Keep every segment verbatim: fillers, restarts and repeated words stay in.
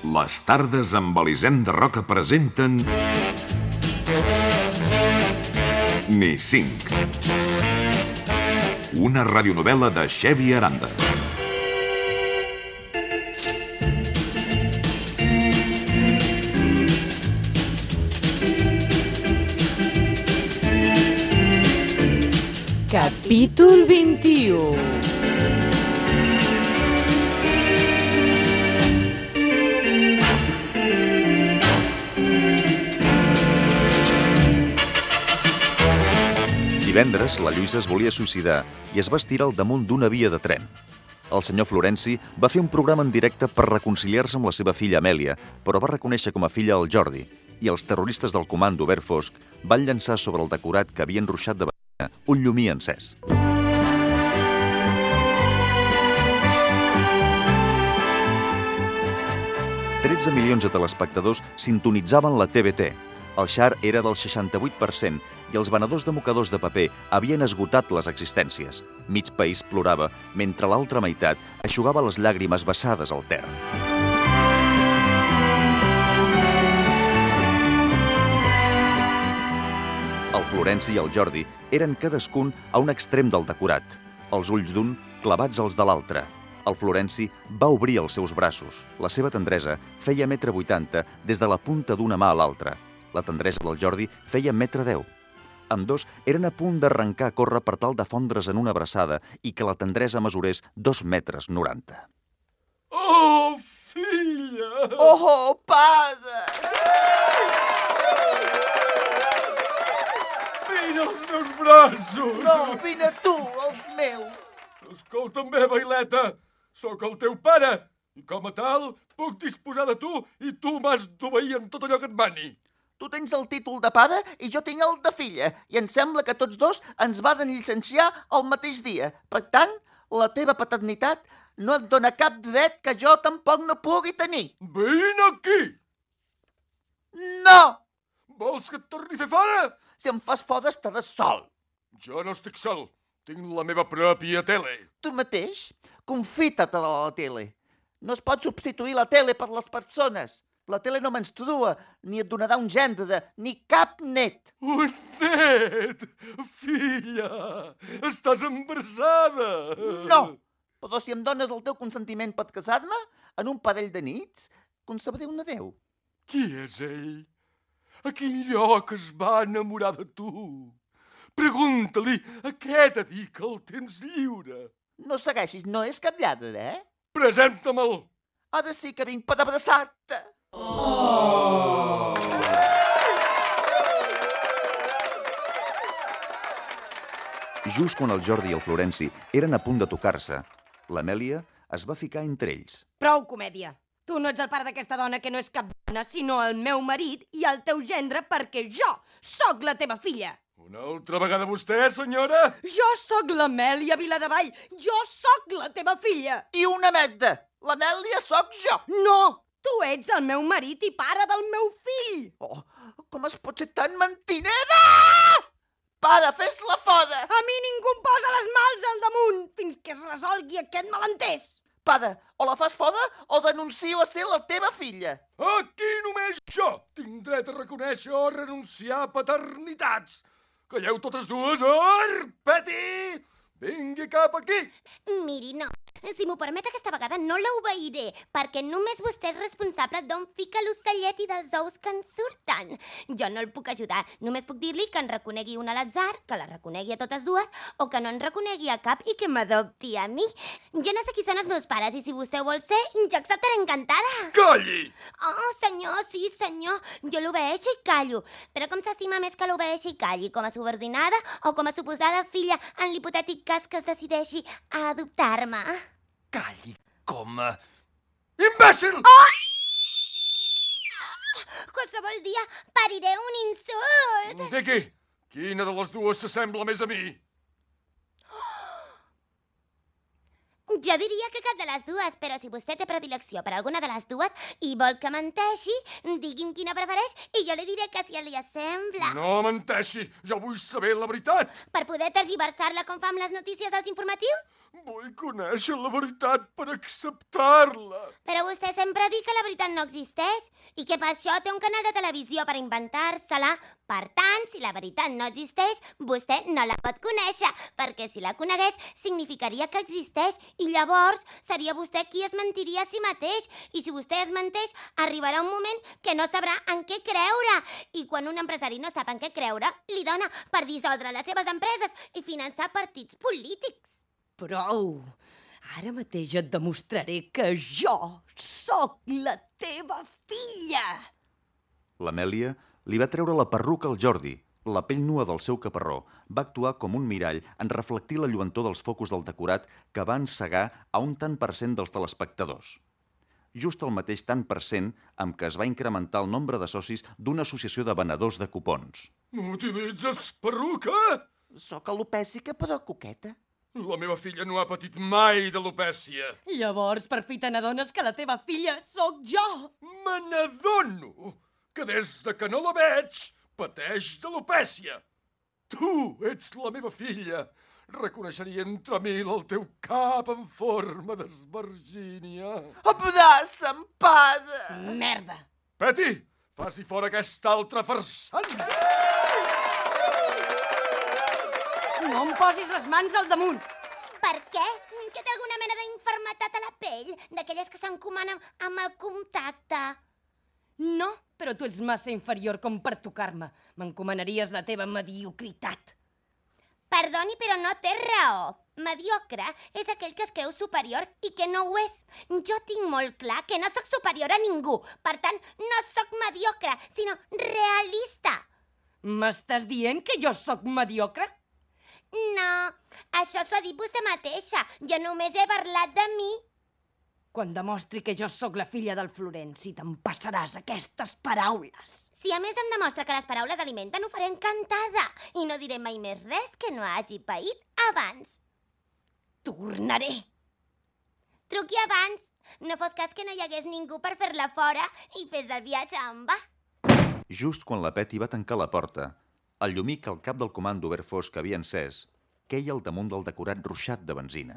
Les tardes amb Elisenda Roca presenten... Ni cinc. Una radionovel·la de Xevi Aranda. Capítol vint-i-u. Divendres, la Lluïsa es volia suïcidar i es va estirar al damunt d'una via de tren. El senyor Florenci va fer un programa en directe per reconciliar-se amb la seva filla Amèlia, però va reconèixer com a filla el Jordi, i els terroristes del comando Verd Fosc van llançar sobre el decorat que havien ruixat de benzina un llumí encès. tretze milions de telespectadors sintonitzaven la T V T. El share era del seixanta-vuit per cent i els venedors de mocadors de paper havien esgotat les existències. Mig país plorava, mentre l'altra meitat eixugava les llàgrimes vessades al terra. El Florenci i el Jordi eren cadascun a un extrem del decorat, els ulls d'un clavats als de l'altre. El Florenci va obrir els seus braços. La seva tendresa feia metre vuitanta des de la punta d'una mà a l'altra. La tendresa del Jordi feia metre deu. Ambdós eren a punt d'arrencar a córrer per tal de fondre's en una abraçada i que la tendresa mesurés dos metres noranta. Oh, filla! Oh, pare! Vine als meus braços! No, vine tu, els meus! Escolta'm bé, Baileta, sóc el teu pare i com a tal puc disposar de tu i tu m'has d'obeir en tot allò que et mani. Tu tens el títol de pare i jo tinc el de filla i em sembla que tots dos ens van llicenciar el mateix dia. Per tant, la teva paternitat no et dona cap dret que jo tampoc no pugui tenir. Vine aquí! No! Vols que et torni a fer fora? Si em fas fora estaràs sol. Jo no estic sol. Tinc la meva pròpia tele. Tu mateix? Confita't a la tele. No es pot substituir la tele per les persones. La tele no menstrua, ni et donarà un gendre, ni cap net. Un net! Filla! Estàs embarassada! No! Però si em dones el teu consentiment per casar-me, en un parell de nits, concebré un adeu. Qui és ell? A quin lloc es va enamorar de tu? Pregunta-li a què dedica el temps lliure. No segueixis, no és cap lladre, eh? Presenta-me'l! Ara sí que vinc per abraçar-te. Oh! Just quan el Jordi i el Florenci eren a punt de tocar-se, l'Amèlia es va ficar entre ells. Prou comèdia. Tu no ets el pare d'aquesta dona que no és cap dona, sinó el meu marit i el teu gendre perquè jo sóc la teva filla. Una altra vegada vostè, senyora? Jo sóc l'Amèlia Viladevall. Jo sóc la teva filla. I una merda. L'Amèlia sóc jo. No! Tu ets el meu marit i pare del meu fill! Oh, com es pot ser tan mentinera? Pare, fes-la fora! A mi ningú em posa les mals al damunt fins que es resolgui aquest malentès! Pare, o la fas fora o denuncio a ser la teva filla. Aquí només jo tinc dret a reconèixer o renunciar a paternitats. Calleu totes dues, Arpeti! Vingui cap aquí! Miri, no. Si m'ho permet aquesta vegada no l'obeiré, perquè només vostè és responsable d'on fica l'ocellet i dels ous que en surten. Jo no el puc ajudar, només puc dir-li que en reconegui una a l'atzar, que la reconegui a totes dues, o que no en reconegui a cap i que m'adopti a mi. Jo no sé qui són els meus pares i si vostè ho vol ser, jo acceptaré encantada. Calli! Oh, senyor, sí, senyor, jo l'obeeixo i callo. Però com s'estima més que l'obeeixi i calli, com a subordinada o com a suposada filla en l'hipotètic cas que es decideixi a adoptar-me? Calli com a... imbècil! Oh! Qualsevol dia pariré un insult. Digui, quina de les dues s'assembla més a mi? Jo diria que cap de les dues, però si vostè té predilecció per alguna de les dues i vol que menteixi, digui'm quina prefereix i jo li diré que si li assembla. No menteixi, jo vull saber la veritat. Per poder tergiversar-la com fa amb les notícies dels informatius? Vull conèixer la veritat per acceptar-la. Però vostè sempre ha dit que la veritat no existeix i que per això té un canal de televisió per inventar-se-la. Per tant, si la veritat no existeix, vostè no la pot conèixer, perquè si la conegués significaria que existeix i llavors seria vostè qui es mentiria a si mateix. I si vostè es menteix, arribarà un moment que no sabrà en què creure. I quan un empresari no sap en què creure, li dona per dissoldre les seves empreses i finançar partits polítics. Prou! Ara mateix et demostraré que jo sóc la teva filla! L'Amèlia li va treure la perruca al Jordi. La pell nua del seu caparró va actuar com un mirall en reflectir la lluentor dels focus del decorat que van cegar a un tant per cent dels telespectadors. Just el mateix tant per cent amb què es va incrementar el nombre de socis d'una associació de venedors de cupons. No utilitzes perruca? Sóc alopècica però coqueta. La meva filla no ha patit mai d'alopècia. Llavors, per fi te n'adones que la teva filla sóc jo! Me n'adono que des de que no la veig pateix d'alopècia. Tu ets la meva filla. Reconeixeria entre mil el teu cap en forma d'esvergínia. Abraça'm, pare! Merda! Peti, faci fora aquest altre farsant. No em posis les mans al damunt! Per què? Que té alguna mena d'infermetat a la pell? D'aquelles que s'encomanen amb el contacte? No, però tu ets massa inferior com per tocar-me. M'encomanaries la teva mediocritat. Perdoni, però no té raó. Mediocre és aquell que es creu superior i que no ho és. Jo tinc molt clar que no sóc superior a ningú. Per tant, no sóc mediocre, sinó realista. M'estàs dient que jo sóc mediocre? No, això s'ho ha dit vostè mateixa. Jo només he parlat de mi. Quan demostri que jo sóc la filla del Florenci, te'n passaràs aquestes paraules. Si a més em demostra que les paraules alimenten, ho faré encantada. I no diré mai més res que no hagi paït abans. Tornaré. Truqui abans. No fos cas que no hi hagués ningú per fer-la fora i fes el viatge en va. Just quan la Peti va tancar la porta, el llumí que el cap del comando verd fosc havia encès queia al damunt del decorat ruixat de benzina.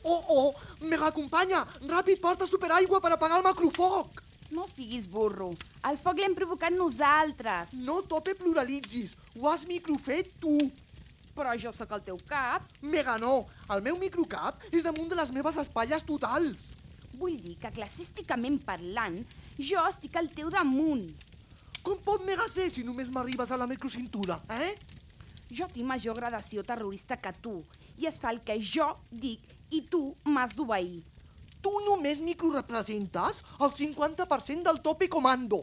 Oh, oh, mega companya, ràpid porta superaigua per apagar el macrofoc. No siguis burro. El foc l'hem provocat nosaltres. No tope pluralitzis, ho has microfet tu. Però jo sóc el teu cap. Mega no, el meu microcap és damunt de les meves espatlles totals. Vull dir que classísticament parlant, jo estic al teu damunt. Com pot mega ser si només m'arribes a la microcintura, eh? Jo tinc major gradació terrorista que tu, i es fa el que jo dic i tu m'has d'obeir. Tu només microrepresentes el cinquanta per cent del tope comando.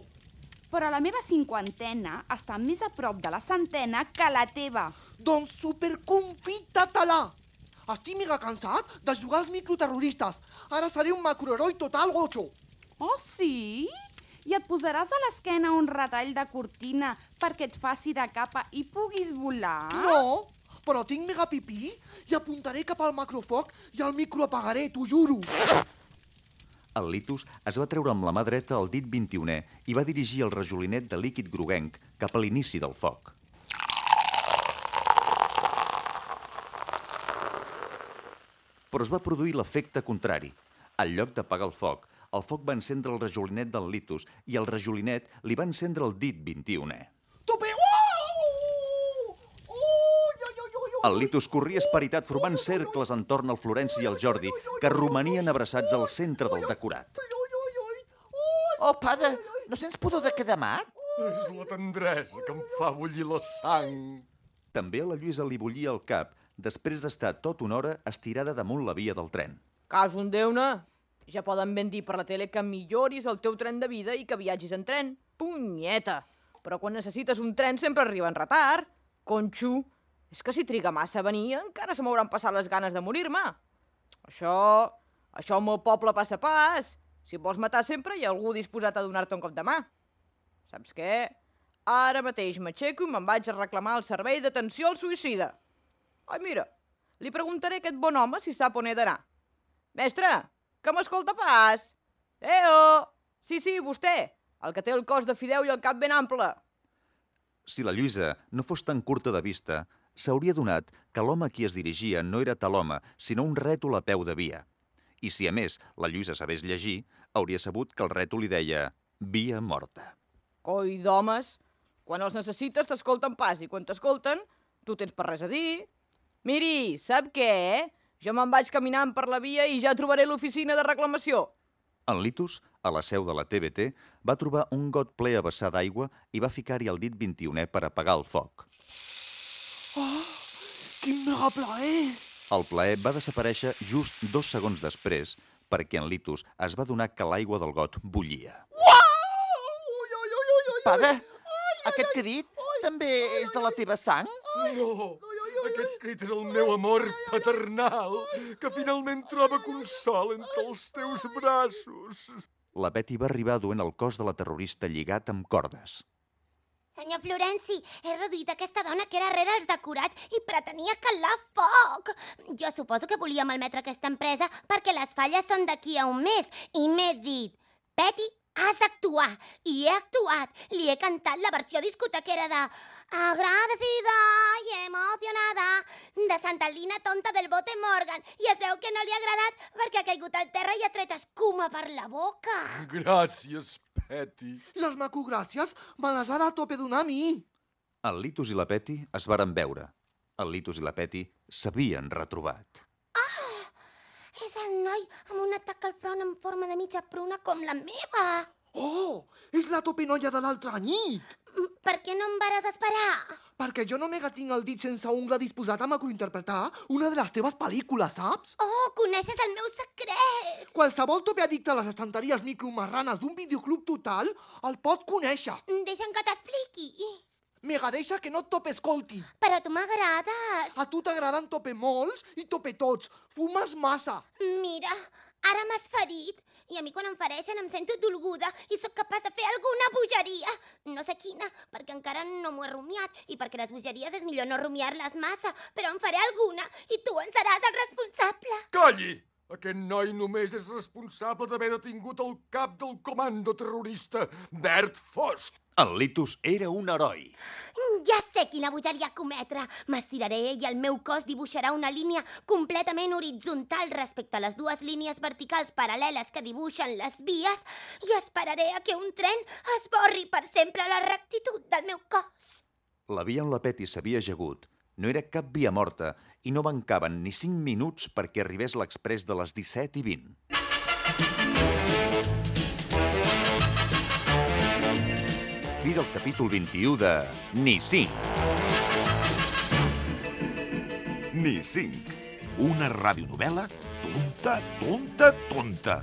Però la meva cinquantena està més a prop de la centena que la teva. Doncs superconfita-te-la! Estic mega cansat de jugar als microterroristes. Ara seré un macroheroi total gocho. Oh, sí? I et posaràs a l'esquena un retall de cortina perquè et faci de capa i puguis volar? No, però tinc mega pipí i apuntaré cap al macrofoc i el microapagaré, t'ho juro. El Litus es va treure amb la mà dreta el dit vint-i-unè i va dirigir el rajolinet de líquid groguenc cap a l'inici del foc. Però es va produir l'efecte contrari. En lloc d'apagar el foc, el foc va encendre el rajolinet del Litus i el rajolinet li va encendre el dit vint-i-unè. Tope! El Litus corria esperitat formant cercles entorn al Florenci i al Jordi, que romanien abraçats al centre del decorat. Oh, pare, no sents pudor de quedar mat? És la tendresa que em fa bullir la sang. També a la Lluïsa li bullia el cap, després d'estar tota una hora estirada damunt la via del tren. Cas un Déu-ne. Ja poden ben dir per la tele que milloris el teu tren de vida i que viatgis en tren. Punyeta! Però quan necessites un tren sempre arriba en retard. Conxo, és que si triga massa a venir encara se m'hauran passat les ganes de morir-me. Això... això al meu poble passa pas. Si vols matar sempre hi ha algú disposat a donar-te un cop de mà. Saps què? Ara mateix m'aixeco i me'n vaig a reclamar el servei d'atenció al suïcida. Ai, mira, li preguntaré a aquest bon home si sap on he d'anar. Mestre, que m'escolta pas? Eo! Sí, sí, vostè, el que té el cos de fideu i el cap ben ample. Si la Lluïsa no fos tan curta de vista, s'hauria donat que l'home a qui es dirigia no era tal home, sinó un rètol a peu de via. I si a més la Lluïsa sabés llegir, hauria sabut que el rètol li deia via morta. Coi d'homes, quan els necessites t'escolten pas i quan t'escolten tu tens per res a dir. Miri, sap què? Jo me'n vaig caminant per la via i ja trobaré l'oficina de reclamació. En Litus, a la seu de la T V T, va trobar un got ple a vessar d'aigua i va ficar-hi el dit vint-i-unè per apagar el foc. Oh, quin mega plaer! El plaer va desaparèixer just dos segons després perquè en Litus es va adonar que l'aigua del got bullia. Pare, aquest crit també és de la teva sang? No, aquest crit és el meu amor paternal, que finalment troba consol entre els teus braços. La Betty va arribar duent el cos de la terrorista lligat amb cordes. Senyor Florenci, he reduït aquesta dona que era rere els decorats i pretenia calar foc. Jo suposo que volia malmetre aquesta empresa perquè les falles són d'aquí a un mes i m'he dit, Betty, has d'actuar. I he actuat. Li he cantat la versió discotequera de Agradecida i emocionada de Santa Lina tonta del bote Morgan. I es veu que no li ha agradat perquè ha caigut al terra i ha tret escuma per la boca. Gràcies, Betty. Les macogràcies me les ha de tope donar a mi. El Litus i la Betty es varen veure. El Litus i la Betty s'havien retrobat. És el noi amb un atac al front en forma de mitja pruna com la meva. Oh, és la topenoia de l'altra nit. Per què no em vares esperar? Perquè jo només tinc el dit sense ungla disposat a macrointerpretar una de les teves pel·lícules, saps? Oh, coneixes el meu secret. Qualsevol tope addicte a les estanteries micromarranes d'un videoclub total el pot conèixer. Deixa'm que t'expliqui. Mega, deixa que no et tope escolti. Però tu m'agrades. A tu t'agraden tope molts i tope tots. Fumes massa. Mira, ara m'has ferit. I a mi quan em fereixen em sento dolguda i sóc capaç de fer alguna bogeria. No sé quina, perquè encara no m'ho he rumiat i perquè les bogeries és millor no rumiar-les massa, però en faré alguna i tu en seràs el responsable. Calli! Aquest noi només és responsable d'haver detingut el cap del comando terrorista, Bert Fosc. El Litus era un heroi. Ja sé quina bogeria cometre. M'estiraré i el meu cos dibuixarà una línia completament horitzontal respecte a les dues línies verticals paral·leles que dibuixen les vies i esperaré a que un tren esborri per sempre la rectitud del meu cos. La via on la Betty s'havia ajagut no era cap via morta i no mancaven ni cinc minuts perquè arribés l'exprés de les disset i vint. Fi del capítol vint-i-u de Ni cinc. Ni cinc. Una radionovel·la tonta, tonta, tonta.